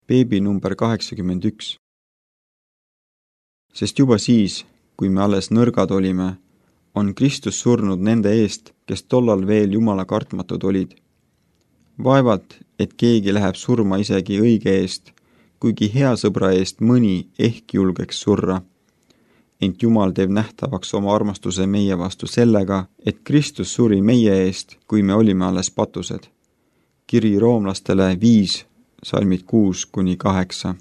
Beebi number 81. Sest juba siis, kui me alles nõrgad olime, on Kristus surnud nende eest, kes tollal veel Jumala kartmatud olid. Vaevalt, et keegi läheb surma isegi õige eest, kuigi hea sõbra eest mõni ehk julgeks surra. Ent Jumal teeb nähtavaks oma armastuse meie vastu sellega, et Kristus suri meie eest, kui me olime alles patused. Kiri roomlastele 5, salmid 6-8.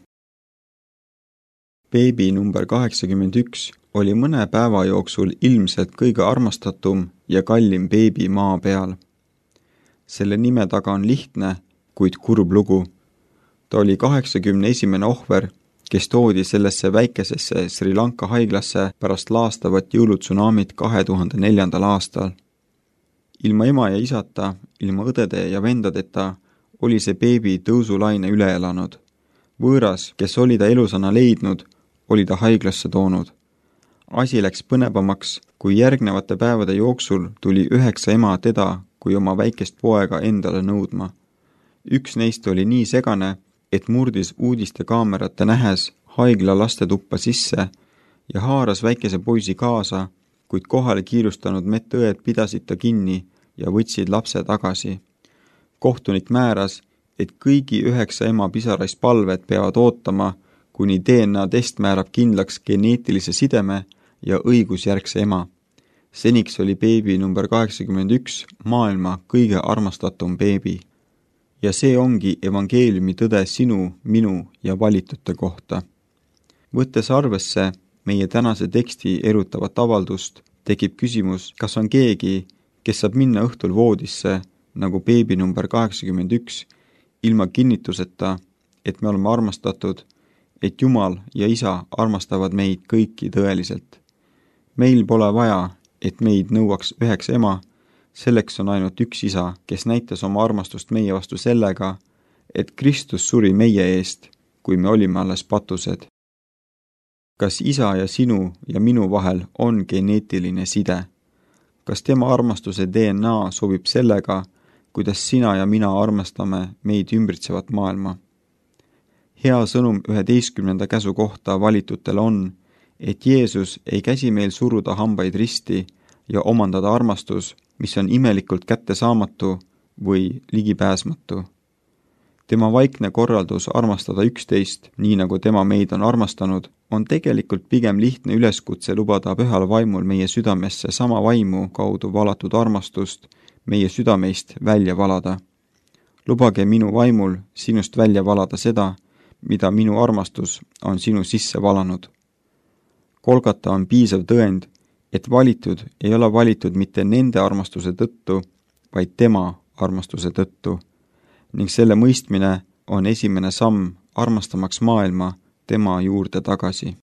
Beebi number 81 oli mõne päeva jooksul ilmselt kõige armastatum ja kallim beebi maa peal. Selle nime taga on lihtne, kuid kurb lugu. Ta oli 81. ohver, kes toodi sellesse väikesesse Sri Lanka haiglasse pärast laastavat jõulutsunamit 2004. aastal. Ilma ema ja isata, ilma õdede ja vendadeta oli see beebi tõusulaine üle elanud. Võõras, kes oli ta elusana leidnud, oli ta haiglasse toonud. Asi läks põnevamaks, kui järgnevate päevade jooksul tuli 9 ema teda kui oma väikest poega endale nõudma. Üks neist oli nii segane, et murdis uudistekaamerate nähes haigla lastetuppa sisse ja haaras väikese poisi kaasa, kuid kohale kiirustanud medõed pidasid ta kinni ja võtsid lapse tagasi. Kohtunik määras, et kõigi 9 ema pisaraispalved peavad ootama, kuni DNA test määrab kindlaks geneetilise sideme ja õigusjärgse ema. Seniks oli beebi number 81 maailma kõige armastatum beebi. Ja see ongi evangeeliumi tõde sinu, minu ja valitute kohta. Võttes arvesse meie tänase teksti erutavat avaldust, tekib küsimus, kas on keegi, kes saab minna õhtul voodisse, nagu beebi number 81, ilma kinnituseta, et me oleme armastatud, et Jumal ja Isa armastavad meid kõiki tõeliselt. Meil pole vaja, et meid nõuaks 9 ema, selleks on ainult üks Isa, kes näitas oma armastust meie vastu sellega, et Kristus suri meie eest, kui me olime alles patused. Kas Isa ja sinu ja minu vahel on geneetiline side? Kas tema armastuse DNA sobib sellega, kuidas sina ja mina armastame meid ümbritsevat maailma? Hea sõnum 11. käsu kohta valitutele on, et Jeesus ei käsi meil suruda hambaid risti ja omandada armastus, mis on imelikult kättesaamatu või ligipääsmatu. Tema vaikne korraldus armastada üksteist, nii nagu tema meid on armastanud, on tegelikult pigem lihtne üleskutse lubada pühal vaimul meie südamesse sama vaimu kaudu valatud armastust meie südameist välja valada. Lubage minu vaimul sinust välja valada seda, mida minu armastus on sinu sisse valanud. Kolgata on piisav tõend, et valitud ei ole valitud mitte nende armastuse tõttu, vaid tema armastuse tõttu, ning selle mõistmine on esimene samm armastamaks maailma tema juurde tagasi.